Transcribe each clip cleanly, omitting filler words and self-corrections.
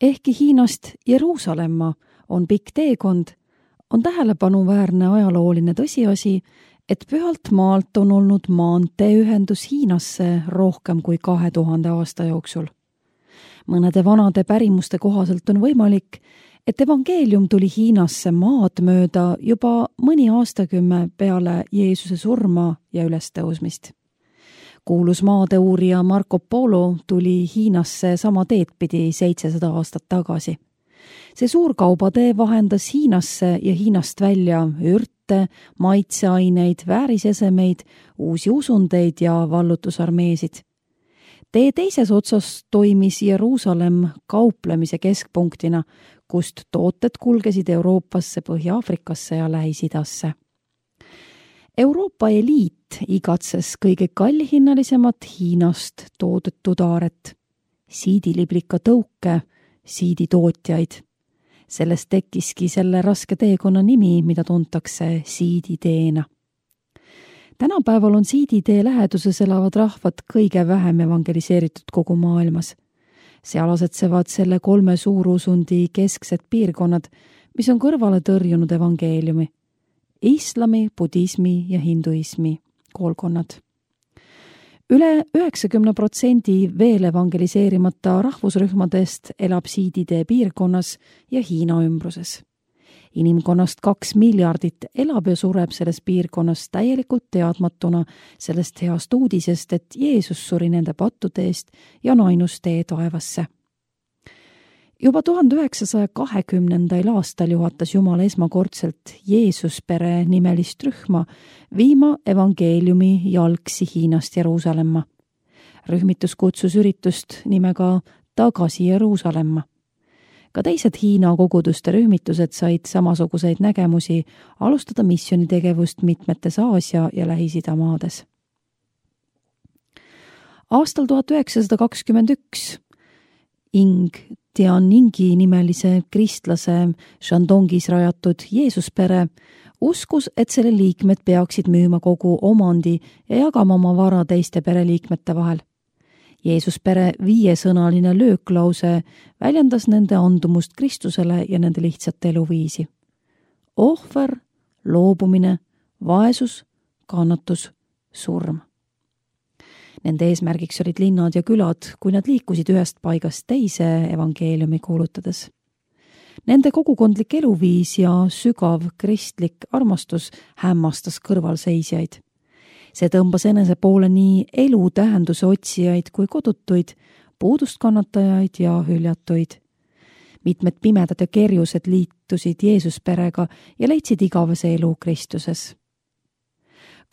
Ehkki Hiinast Jeruusalemma on pikk teekond, on tähelepanuväärne ajalooline tõsiasi, et pühalt maalt on olnud maanteeühendus Hiinasse rohkem kui 2000 aasta jooksul. Mõnede vanade pärimuste kohaselt on võimalik, et evangeelium tuli Hiinasse maad mööda juba mõni aastakümme peale Jeesuse surma ja ülestõusmist. Kuulus maadeuurija Marco Polo tuli Hiinasse sama teed pidi 700 aastat tagasi. See suur kaubatee vahendas Hiinasse ja Hiinast välja ürte, maitseaineid, väärisesemeid, uusi usundeid ja vallutusarmeesid. Tee teises otsas toimis Jeruusalemm kauplemise keskpunktina, kust tooted kulgesid Euroopasse, Põhja-Aafrikasse ja Lähis-Idasse. Euroopa eliit igatses kõige kallihinnalisemat Hiinast toodetud aaret, siidiliblika tõuke, siiditootjaid. Sellest tekkiski selle raske teekonna nimi, mida tuntakse siiditeena. Tänapäeval on siiditee läheduses elavad rahvad kõige vähem evangeliseeritud kogu maailmas. Seal asetsevad selle 3 suurusundi kesksed piirkonnad, mis on kõrvale tõrjunud evangeeliumi. Islami, budismi ja hinduismi koolkonnad. Üle 90% veel evangeliseerimata rahvusrühmadest elab siiditee piirkonnas ja Hiina ümbruses. Inimkonnast 2 miljardit elab ja sureb selles piirkonnas täielikult teadmatuna sellest heast uudisest, et Jeesus suri nende pattude eest ja on ainus tee taevasse. Juba 1920. aastal juhatas Jumal esmakordselt Jeesuspere nimelist rühma viima evangeeliumi jalgsi Hiinast Jeruusalemma. Rühmitus kutsus üritust nimega Tagasi Jeruusalemma. Ka teised Hiina koguduste rühmitused said samasuguseid nägemusi alustada missioonitegevust mitmetes Aasia ja Lähis-Ida maades. Aastal 1921 Ing Tianningi nimelise kristlase Shandongis rajatud Jeesuspere uskus, et selle liikmed peaksid müüma kogu omandi ja jagama oma vara teiste pereliikmete vahel. Jeesuspere 5-sõnaline lööklause väljendas nende andumust Kristusele ja nende lihtsat eluviisi. Ohver, loobumine, vaesus, kannatus, surm. Nende eesmärgiks olid linnad ja külad, kui nad liikusid ühest paigast teise evangeeliumi kuulutades. Nende kogukondlik eluviis ja sügav kristlik armastus hämmastas kõrvalseisjaid. See tõmbas enese poole nii elu tähenduse otsijaid kui kodutuid, puudust kannatajaid ja hüljatuid. Mitmed pimedad ja kerjused liitusid Jeesusperega ja leidsid igavese elu Kristuses.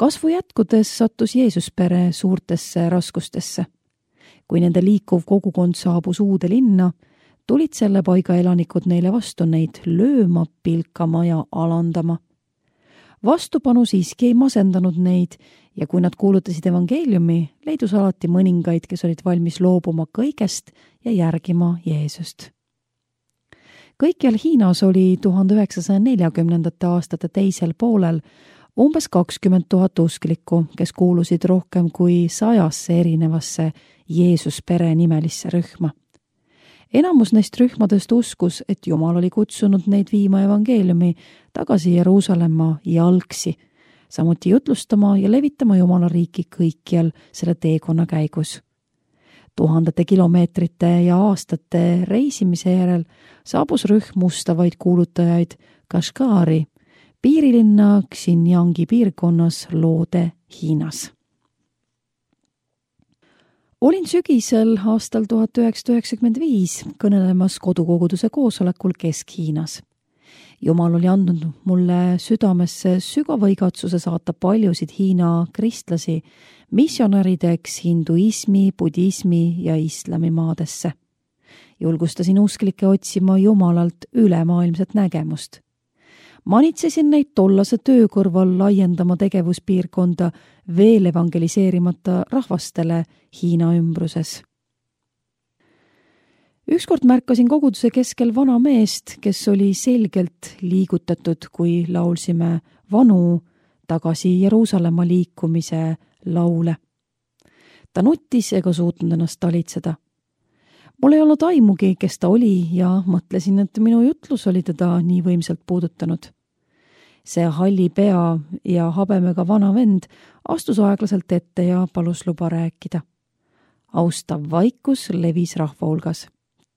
Kasvu jätkudes sattus Jeesuspere suurtesse raskustesse. Kui nende liikuv kogukond saabus uude linna, tulid selle paiga elanikud neile vastu neid lööma, pilkama ja alandama. Vastupanu siiski ei masendanud neid ja kui nad kuulutasid evangeeliumi, leidus alati mõningaid, kes olid valmis loobuma kõigest ja järgima Jeesust. Kõikjal Hiinas oli 1940. aastate teisel poolel umbes 20 000 usklikku, kes kuulusid rohkem kui 100 erinevasse Jeesuspere nimelisse rühma. Enamus neist rühmadest uskus, et Jumal oli kutsunud neid viima evangeeliumi tagasi Jeruusalemma jalgsi, samuti jutlustama ja levitama Jumala riiki kõikjal selle teekonna käigus. Tuhandete kilomeetrite ja aastate reisimise järel saabus rühm mustavaid kuulutajaid Kashgari, piirilinna Xinjiangi piirkonnas Loode Hiinas. Olin sügisel aastal 1995 kõnelemas kodukoguduse koosolekul Kesk-Hiinas. Jumal oli andnud mulle südamesse sügava igatsuse saata paljusid Hiina kristlasi missionärideks hinduismi, budismi ja islami maadesse. Julgustasin usklikke otsima Jumalalt ülemaailmset nägemust. Manitsesin neid tollase töö kõrval laiendama tegevuspiirkonda veel evangeliseerimata rahvastele Hiina ümbruses. Ükskord märkasin koguduse keskel vana meest, kes oli selgelt liigutatud, kui laulsime vanu tagasi Jeruusalemma liikumise laule. Ta nuttis ega suutnud ennast talitseda. Mul ei olnud aimugi, kes ta oli ja mõtlesin, et minu jutlus oli teda nii võimsalt puudutanud. See halli pea ja habemega vana vend astus aeglaselt ette ja palus luba rääkida. Austav vaikus levis rahva hulgas.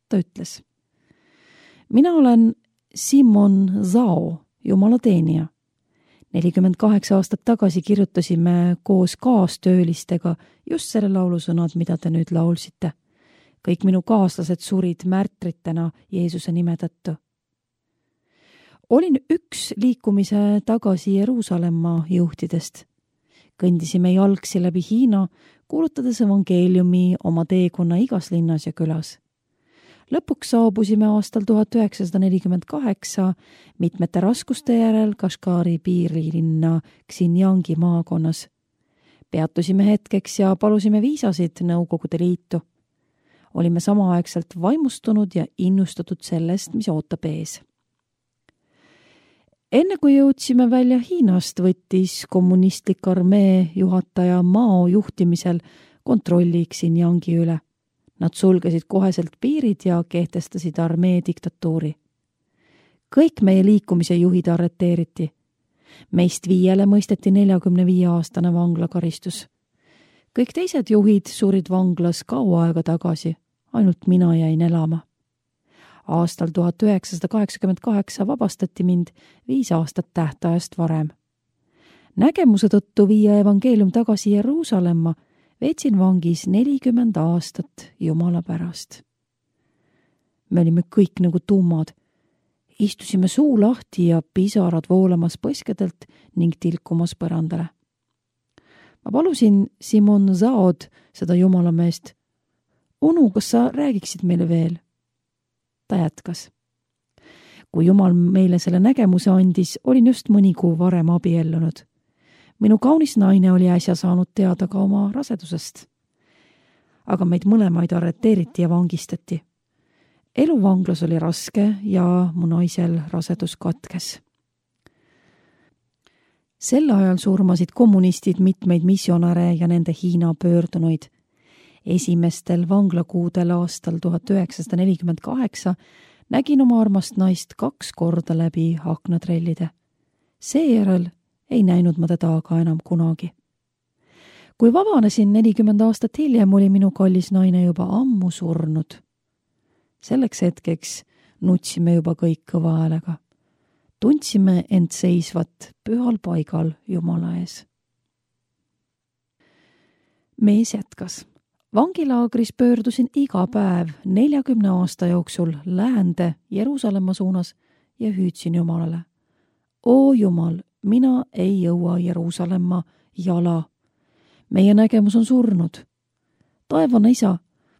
Ta ütles: mina olen Simon Zhao, jumala teenija. 48 aastat tagasi kirjutasime koos kaastöölistega just selle laulusõnad, mida te nüüd laulsite. Kõik minu kaaslased surid märtritena Jeesuse nime tõttu. Olin üks liikumise tagasi Jeruusalemma juhtidest. Kõndisime jalgsi läbi Hiina, kuulutades evangeeliumi oma teekonna igas linnas ja külas. Lõpuks saabusime aastal 1948 mitmete raskuste järel Kashgari piirilinna Xinjiangi maakonnas. Peatusime hetkeks ja palusime viisasid Nõukogude Liitu. Olime samaaegselt vaimustunud ja innustatud sellest, mis ootab ees. Enne kui jõudsime välja Hiinast, võttis kommunistlik armee juhataja Mao juhtimisel kontrolli Xinjiangi üle. Nad sulgesid koheselt piirid ja kehtestasid armee diktatuuri. Kõik meie liikumise juhid arreteeriti. Meist 5 mõisteti 45-aastane vanglakaristus. Kõik teised juhid surid vanglas kaua aega tagasi, ainult mina jäin elama. Aastal 1988 vabastati mind 5 aastat tähtajast varem. Nägemuse tõttu viia evangeelium tagasi Jeruusalemma veetsin vangis 40 aastat Jumala pärast. Me olime kõik nagu tummad. Istusime suu lahti ja pisarad voolamas põskedelt ning tilkumas põrandale. Ma palusin Simon Zaod, seda jumalameest: onu, kas sa räägiksid meile veel? Ta jätkas: kui Jumal meile selle nägemuse andis, olin just mõni kuu varem abiellunud. Minu kaunis naine oli äsja saanud teada ka oma rasedusest. Aga meid mõlemaid arreteeriti ja vangistati. Elu vanglas oli raske ja mu naisel rasedus katkes. Sel ajal surmasid kommunistid mitmeid missionäre ja nende Hiina pöördunuid. Esimestel vanglakuudel aastal 1948 nägin oma armast naist 2 korda läbi aknatrellide. Seejärel ei näinud ma teda aga enam kunagi. Kui vabanesin 40 aastat hiljem, oli minu kallis naine juba ammu surnud. Selleks hetkeks nutsime juba kõik kõva häälega. Tundsime end seisvat pühal paigal Jumala ees. Mees jätkas: vangilaagris pöördusin iga päev 40 aasta jooksul läände Jeruusalemma suunas ja hüüdsin Jumalale: O Jumal, mina ei jõua Jeruusalemma jala. Meie nägemus on surnud. Taevane isa,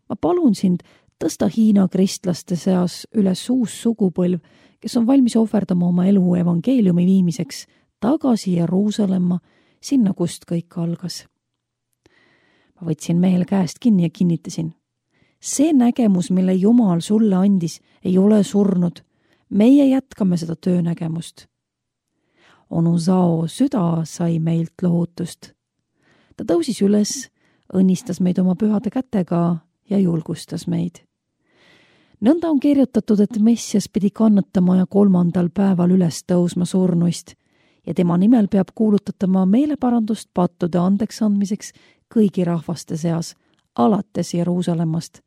ma palun sind, tõsta Hiina kristlaste seas üles uus sugupõlv, kes on valmis ohverdama oma elu evangeeliumi viimiseks tagasi Jeruusalemma, sinna, kust kõik algas. Ma võtsin mehel käest kinni ja kinnitasin: see nägemus, mille Jumal sulle andis, ei ole surnud. Meie jätkame seda töönägemust. Onu Zhao süda sai meilt lohutust. Ta tõusis üles, õnnistas meid oma pühade kätega ja julgustas meid. Nõnda on kirjutatud, et Messias pidi kannatama ja 3. päeval üles tõusma surnuist ja tema nimel peab kuulutatama meeleparandust pattude andeks andmiseks kõigi rahvaste seas, alates Jeruusalemmast.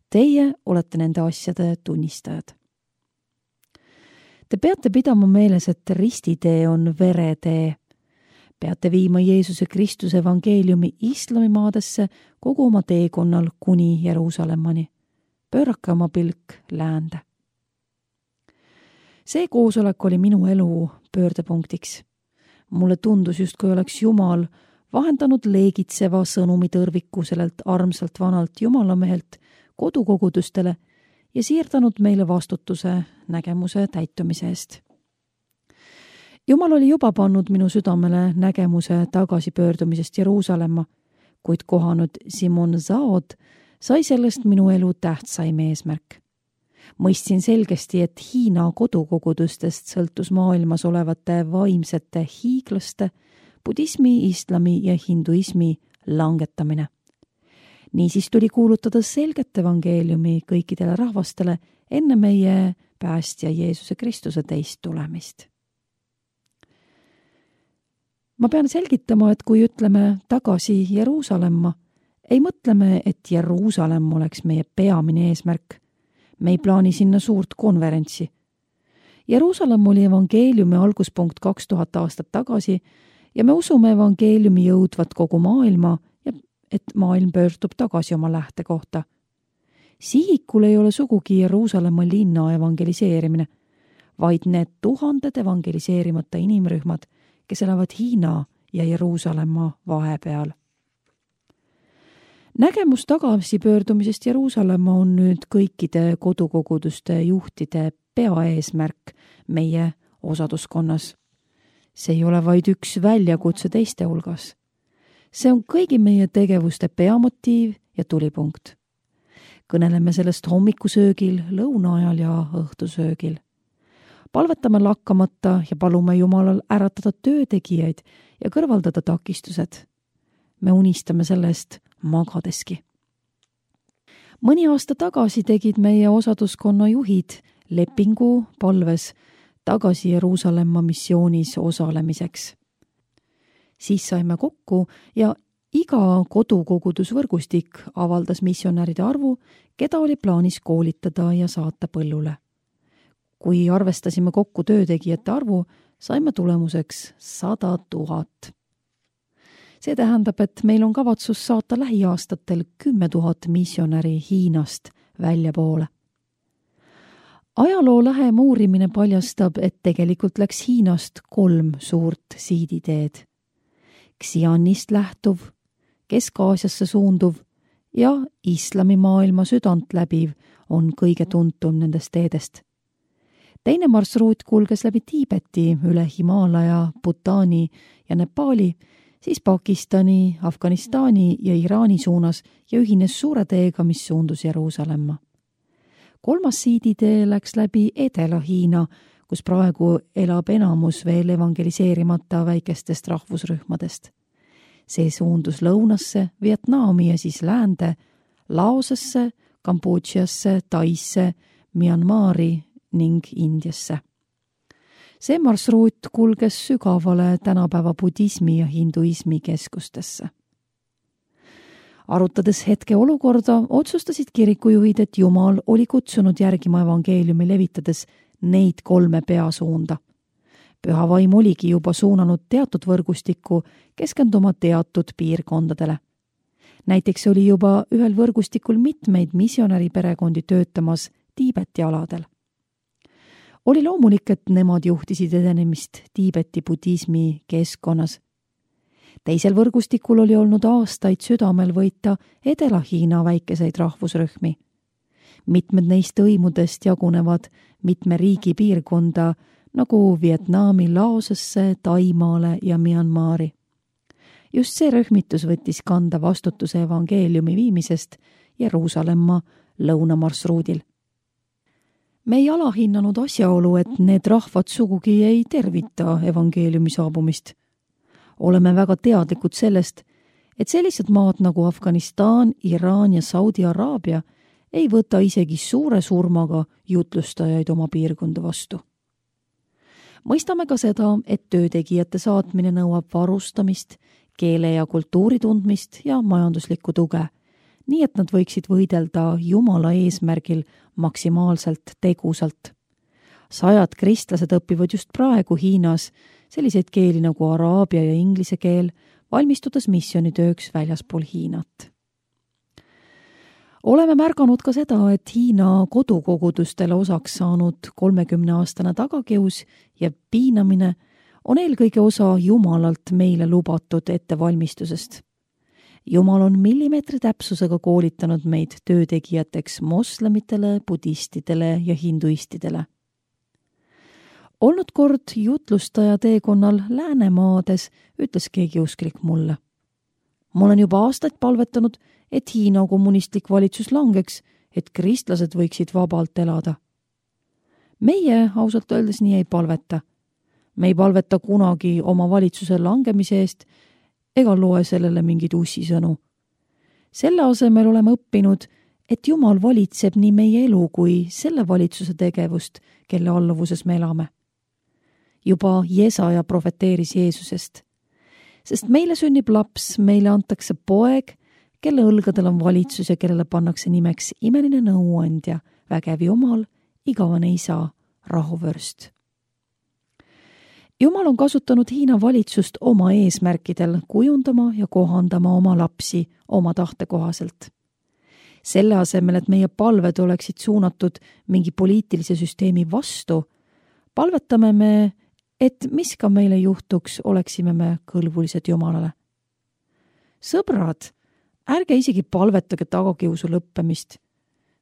Teie olete nende asjade tunnistajad. Te peate pidama meeles, et ristitee on veretee. Peate viima Jeesuse Kristuse evangeeliumi islamimaadesse kogu oma teekonnal kuni Jeruusalemmani. Pöörake oma pilk läände. See koosolek oli minu elu pöördepunktiks. Mulle tundus justkui oleks Jumal vahendanud leegitseva sõnumi tõrviku sellelt armsalt vanalt jumalamehelt kodukogudustele ja siirdanud meile vastutuse nägemuse täitumise eest. Jumal oli juba pannud minu südamele nägemuse tagasipöördumisest Jeruusalemma, kuid kohanud Simon Zaod sai sellest minu elu tähtsaim eesmärk. Mõistsin selgesti, et Hiina kodukogudustest sõltus maailmas olevate vaimsete hiiglaste, budismi, islami ja hinduismi langetamine. Niisiis tuli kuulutada selget evangeeliumi kõikidele rahvastele enne meie päästja Jeesuse Kristuse teist tulemist. Ma pean selgitama, et kui ütleme tagasi Jeruusalemma, ei mõtleme, et Jeruusalemm oleks meie peamine eesmärk. Me ei plaani sinna suurt konverentsi. Jeruusalemm oli evangeeliumi alguspunkt 2000 aastat tagasi ja me usume evangeeliumi jõudvat kogu maailma ja et maailm pöördub tagasi oma lähtekohta. Sihikul ei ole sugugi Jeruusalemma linna evangeliseerimine, vaid need tuhanded evangeliseerimata inimrühmad, kes elavad Hiina ja Jeruusalemma vahepeal. Nägemus tagasipöördumisest Jeruusalemma on nüüd kõikide kodukoguduste juhtide peaeesmärk meie osaduskonnas. See ei ole vaid üks väljakutse teiste hulgas. See on kõigi meie tegevuste peamotiiv ja tulipunkt. Kõneleme sellest hommikusöögil, lõunaajal ja õhtusöögil. Palvetame lakkamata ja palume Jumalal äratada töötegijaid ja kõrvaldada takistused. Me unistame sellest magadeski. Mõni aasta tagasi tegid meie osaduskonna juhid lepingu palves tagasi Jeruusalemma missioonis osalemiseks. Siis saime kokku ja iga kodukogudusvõrgustik avaldas missionäride arvu, keda oli plaanis koolitada ja saata põllule. Kui arvestasime kokku töötegijate arvu, saime tulemuseks 100 000. See tähendab, et meil on kavatsus saata lähiaastatel 10 000 missionäri Hiinast väljapoole. Ajaloo lähem uurimine paljastab, et tegelikult läks Hiinast 3 suurt siiditeed. Xianist lähtuv, Kesk-Aasiasse suunduv ja islamimaailma südant läbiv on kõige tuntum nendest teedest. Teine marsruut kulges läbi Tiibeti, üle Himaalaja, Bhutani ja Nepali, siis Pakistani, Afganistani ja Iraani suunas ja ühines suure teega, mis suundus Jeruusalemma. 3. siiditee läks läbi Edela-Hiina, kus praegu elab enamus veel evangeliseerimata väikestest rahvusrühmadest. See suundus lõunasse, Vietnami ja siis läände, Laosesse, Kambodžasse, Taisse, Myanmari ning Indiasse. See marsruut kulges sügavale tänapäeva budismi ja hinduismi keskustesse. Arutades hetke olukorda, otsustasid kirikujuhid, et Jumal oli kutsunud järgima evangeeliumi levitades neid 3 peasuunda. Püha vaim oligi juba suunanud teatud võrgustikku keskenduma teatud piirkondadele. Näiteks oli juba ühel võrgustikul mitmeid missionäriperekondi töötamas Tiibeti aladel. Oli loomulik, et nemad juhtisid edenemist Tiibeti budismi keskkonnas. Teisel võrgustikul oli olnud aastaid südamel võita Edela-Hiina väikeseid rahvusrühmi. Mitmed neist õimudest jagunevad mitme riigi piirkonda, nagu Vietnami, Laosesse, Taimaale ja Myanmari. Just see rühmitus võttis kanda vastutuse evangeeliumi viimisest Jeruusalemma lõunamarsruudil. Me ei alahinnanud asjaolu, et need rahvad sugugi ei tervita evangeeliumi saabumist. Oleme väga teadlikud sellest, et sellised maad nagu Afganistan, Iraan ja Saudi Araabia ei võta isegi suure surmaga jutlustajaid oma piirkonda vastu. Mõistame ka seda, et töötegijate saatmine nõuab varustamist, keele ja kultuuri tundmist ja majanduslikku tuge, nii et nad võiksid võidelda Jumala eesmärgil maksimaalselt tegusalt. 100 kristlased õpivad just praegu Hiinas selliseid keeli nagu araabia ja inglise keel, valmistudes missionitööks väljaspool Hiinat. Oleme märganud ka seda, et Hiina kodukogudustele osaks saanud 30-aastane tagakius ja piinamine on eelkõige osa Jumalalt meile lubatud ettevalmistusest. Jumal on millimeetri täpsusega koolitanud meid töötegijateks moslemitele, budistidele ja hinduistidele. Olnud kord jutlustaja teekonnal Läänemaades ütles keegi usklik mulle. Ma olen juba aastaid palvetanud, et Hiina kommunistlik valitsus langeks, et kristlased võiksid vabalt elada. Meie ausalt öeldes nii ei palveta. Me ei palveta kunagi oma valitsuse langemise eest ega loe sellele mingeid ussisõnu. Selle asemel oleme õppinud, et Jumal valitseb nii meie elu kui selle valitsuse tegevust, kelle alluvuses me elame. Juba Jesaja profeteeris Jeesusest, sest meile sünnib laps, meile antakse poeg, kelle õlgadel on valitsus ja kellele pannakse nimeks imeline nõuandja, vägev Jumal, igavene isa, rahuvörst. Jumal on kasutanud Hiina valitsust oma eesmärkidel kujundama ja kohandama oma lapsi oma tahte kohaselt. Selle asemel, et meie palved oleksid suunatud mingi poliitilise süsteemi vastu, palvetame me, et mis ka meile juhtuks, oleksime me kõlbulised Jumalale. Sõbrad, ärge isegi palvetage tagakiusu lõppemist.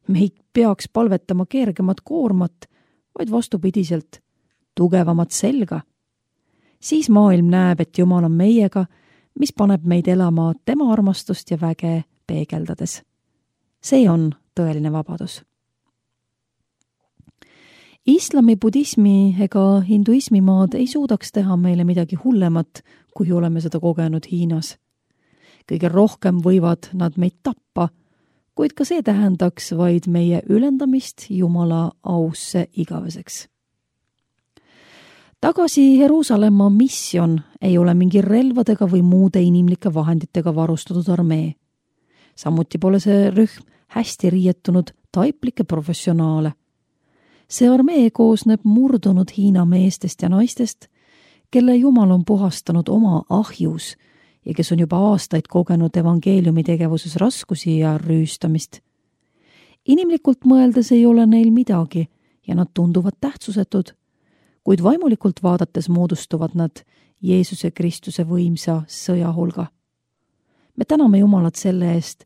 Me ei peaks palvetama kergemat koormat, vaid vastupidiselt tugevamat selga. Siis maailm näeb, et Jumal on meiega, mis paneb meid elama tema armastust ja väge peegeldades. See on tõeline vabadus. Islami, budismi ega hinduismi maad ei suudaks teha meile midagi hullemat, kui oleme seda kogenud Hiinas. Kõige rohkem võivad nad meid tappa, kuid ka see tähendaks vaid meie ülendamist Jumala ausse igaveseks. Tagasi Jeruusalemma missioon ei ole mingi relvadega või muude inimlike vahenditega varustatud armee. Samuti pole see rühm hästi riietunud taiplikke professionaale. See armee koosneb murdunud Hiina meestest ja naistest, kelle Jumal on puhastanud oma ahjus ja kes on juba aastaid kogenud evangeeliumi tegevuses raskusi ja rüüstamist. Inimlikult mõeldes ei ole neil midagi ja nad tunduvad tähtsusetud, kuid vaimulikult vaadates moodustuvad nad Jeesuse Kristuse võimsa sõja hulga. Me täname Jumalat selle eest,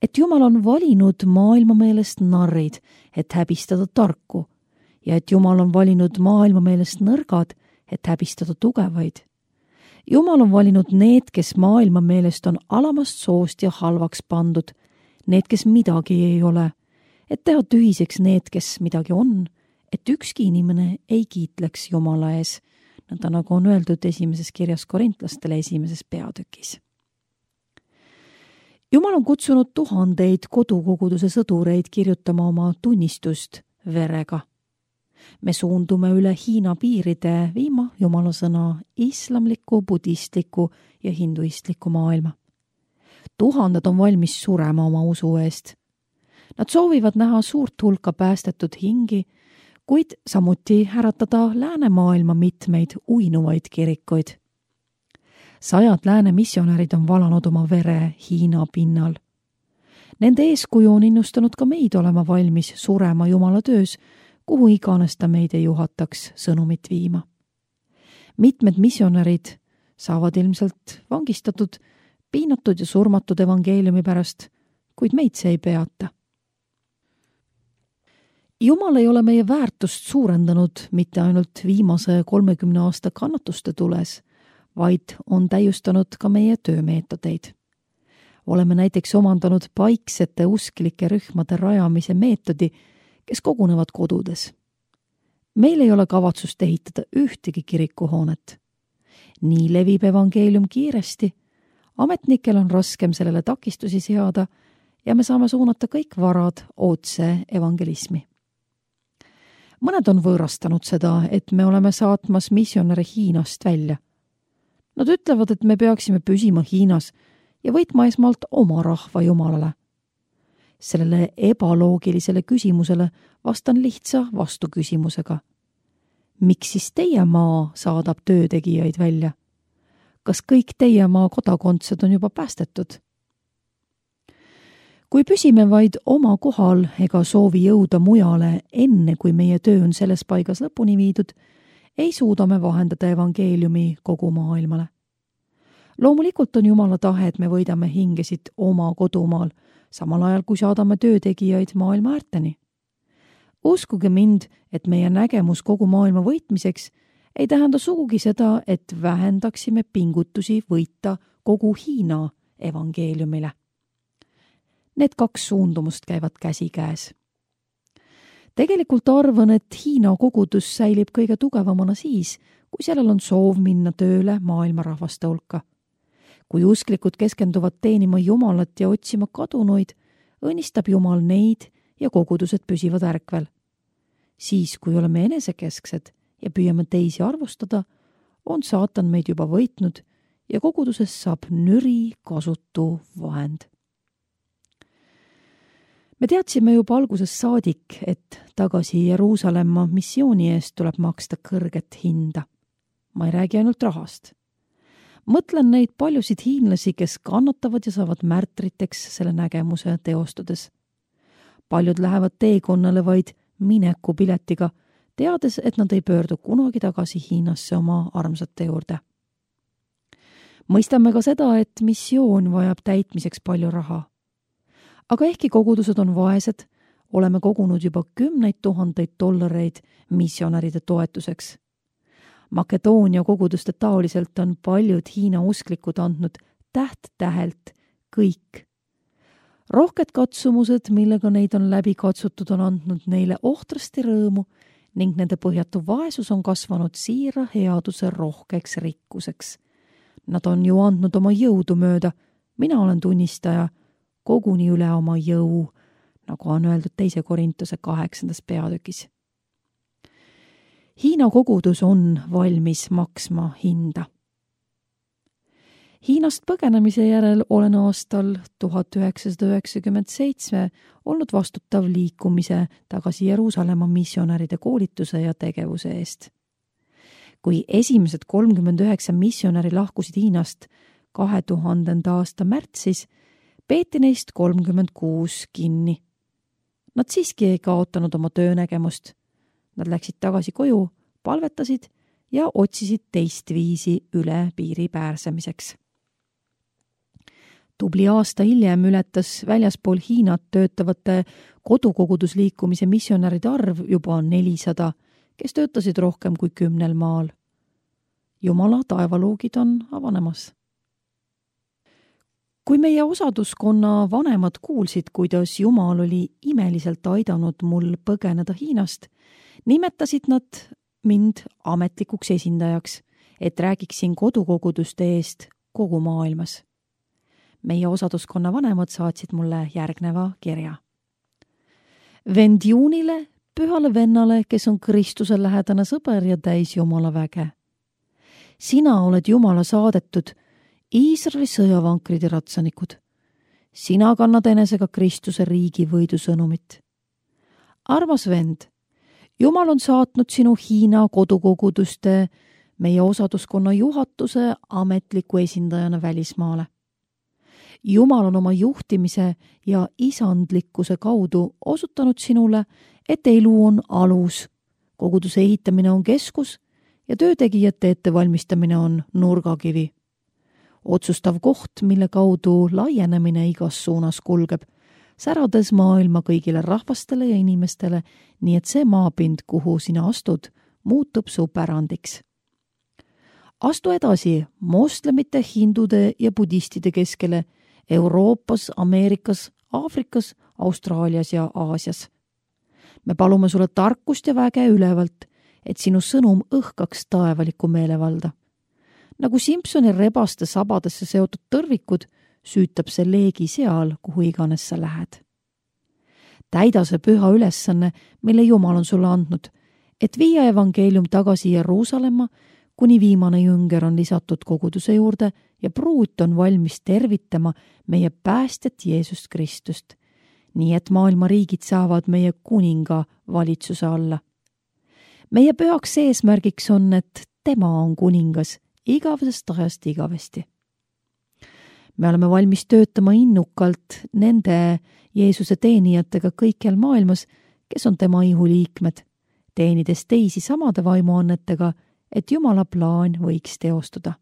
et Jumal on valinud maailma meelest narrid, et häbistada tarku, ja et Jumal on valinud maailma meelest nõrgad, et häbistada tugevaid. Jumal on valinud need, kes maailma meelest on alamast soost ja halvaks pandud, need, kes midagi ei ole, et teha tühiseks need, kes midagi on, et ükski inimene ei kiitleks Jumala ees, nõnda nagu on öeldud esimeses kirjas Korintlastele 1. peatükis. Jumal on kutsunud tuhandeid kodukoguduse sõdureid kirjutama oma tunnistust verega. Me suundume üle Hiina piiride viima Jumala sõna islamliku, budistliku ja hinduistliku maailma. Tuhanded on valmis surema oma usu eest. Nad soovivad näha suurt hulka päästetud hingi, kuid samuti äratada läänemaailma mitmeid uinuvaid kirikuid. 100 lääne missionärid on valanud oma vere Hiina pinnal. Nende eeskuju on innustanud ka meid olema valmis surema Jumala töös, kuhu iganes ta meid ei juhataks sõnumit viima. Mitmed missionärid saavad ilmselt vangistatud, piinatud ja surmatud evangeeliumi pärast, kuid meid see ei peata. Jumal ei ole meie väärtust suurendanud mitte ainult viimase 30 aasta kannatuste tules, vaid on täiustanud ka meie töömeetodeid. Oleme näiteks omandanud paiksete usklike rühmade rajamise meetodi, kes kogunevad kodudes. Meil ei ole kavatsust ehitada ühtegi kirikuhoonet. Nii levib evangeelium kiiresti, ametnikel on raskem sellele takistusi seada ja me saame suunata kõik varad otse evangelismi. Mõned on võõrastanud seda, et me oleme saatmas missionäre Hiinast välja. Nad ütlevad, et me peaksime püsima Hiinas ja võitma esmalt oma rahva Jumalale. Sellele ebaloogilisele küsimusele vastan lihtsa vastuküsimusega. Miks siis teie maa saadab töötegijaid välja? Kas kõik teie maa kodakondsed on juba päästetud? Kui püsime vaid oma kohal ega soovi jõuda mujale enne, kui meie töö on selles paigas lõpuni viidud, ei suuda me vahendada evangeeliumi kogu maailmale. Loomulikult on Jumala tahe, et me võidame hingesid oma kodumaal, samal ajal kui saadame töötegijaid maailma äärteni. Uskuge mind, et meie nägemus kogu maailma võitmiseks ei tähenda sugugi seda, et vähendaksime pingutusi võita kogu Hiina evangeeliumile. Need 2 suundumust käivad käsikäes. Tegelikult arvan, et Hiina kogudus säilib kõige tugevamana siis, kui sellel on soov minna tööle maailma rahvaste hulka. kui usklikud keskenduvad teenima Jumalat ja otsima kadunuid, õnnistab Jumal neid ja kogudused püsivad ärkvel. Siis, kui oleme enesekesksed ja püüame teisi arvustada, on saatan meid juba võitnud ja koguduses saab nüri kasutu vahend. Me teadsime juba algusest saadik, et tagasi Jeruusalemma missiooni eest tuleb maksta kõrget hinda. Ma ei räägi ainult rahast. Mõtlen neid paljusid hiinlasi, kes kannatavad ja saavad märtriteks selle nägemuse teostades. Paljud lähevad teekonnale vaid minekupiletiga, teades, et nad ei pöördu kunagi tagasi Hiinasse oma armsate juurde. Mõistame ka seda, et missioon vajab täitmiseks palju raha. Aga ehkki kogudused on vaesed, oleme kogunud juba 10 000 dollareid missionäride toetuseks. Makedoonia koguduste taoliselt on paljud Hiina usklikud andnud täht-tähelt kõik. Rohked katsumused, millega neid on läbi katsutud, on andnud neile ohtrasti rõõmu ning nende põhjatu vaesus on kasvanud siira headuse rohkeks rikkuseks. Nad on ju andnud oma jõudu mööda, mina olen tunnistaja, koguni üle oma jõu, nagu on öeldud 2. Korintuse 8. peatükis. Hiina kogudus on valmis maksma hinda. Hiinast põgenemise järel olen aastal 1997 olnud vastutav liikumise tagasi Jeruusalemma missionäride koolituse ja tegevuse eest. Kui esimesed 39 missionäri lahkusid Hiinast 2000. aasta märtsis, peeti neist 36 kinni. Nad siiski ei kaotanud oma töönägemust. Nad läksid tagasi koju, palvetasid ja otsisid teist viisi üle piiri pääsemiseks. Tubli aasta hiljem ületas väljaspool Hiinat töötavate kodukogudusliikumise missionäride arv juba 400, kes töötasid rohkem kui 10 maal. Jumala taevaluugid on avanemas. Kui meie osaduskonna vanemad kuulsid, kuidas Jumal oli imeliselt aidanud mul põgeneda Hiinast, nimetasid nad mind ametlikuks esindajaks, et räägiksin kodukoguduste eest kogu maailmas. Meie osaduskonna vanemad saatsid mulle järgneva kirja. Vend Juunile, pühale vennale, kes on Kristuse lähedane sõber ja täis Jumala väge. Sina oled Jumala saadetud, Iisraeli sõjavankrid ja ratsanikud. Sina kannad enesega Kristuse riigi võidusõnumit. Armas vend, Jumal on saatnud sinu Hiina kodukoguduste, meie osaduskonna juhatuse ametliku esindajana välismaale. Jumal on oma juhtimise ja isandlikkuse kaudu osutanud sinule, et elu on alus, koguduse ehitamine on keskus ja töötegijate ettevalmistamine on nurgakivi. Otsustav koht, mille kaudu laienemine igas suunas kulgeb, särades maailma kõigile rahvastele ja inimestele, nii et see maapind, kuhu sina astud, muutub su pärandiks. Astu edasi moslemite, hindude ja budistide keskele Euroopas, Ameerikas, Aafrikas, Austraalias ja Aasias. Me palume sulle tarkust ja väge ülevalt, et sinu sõnum õhkaks taevalikku meelevalda. Nagu Simpsoni rebaste sabadesse seotud tõrvikud, süütab see leegi seal, kuhu iganes sa lähed. Täida see püha ülesanne, mille Jumal on sulle andnud, et viia evangeelium tagasi Jeruusalemma, kuni viimane jünger on lisatud koguduse juurde ja pruut on valmis tervitama meie päästjat Jeesust Kristust, nii et maailma riigid saavad meie kuninga valitsuse alla. Meie pühaks eesmärgiks on, et tema on kuningas igavesest ajast igavesti. Me oleme valmis töötama innukalt nende Jeesuse teenijatega kõikjal maailmas, kes on tema ihuliikmed, teenides teisi samade vaimuannetega, et Jumala plaan võiks teostuda.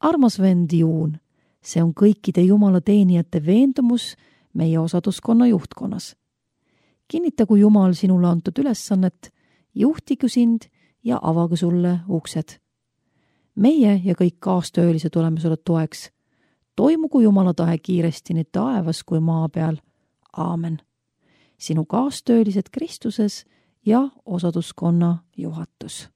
Armas vend Juun, see on kõikide Jumala teenijate veendumus meie osaduskonna juhtkonnas. Kinnitagu Jumal sinule antud ülesannet, juhtigu sind ja avagu sulle uksed. Meie ja kõik kaastöölised oleme sulle toeks. Toimugu Jumala tahe kiiresti nii taevas kui maa peal. Aamen. Sinu kaastöölised Kristuses ja osaduskonna juhatus.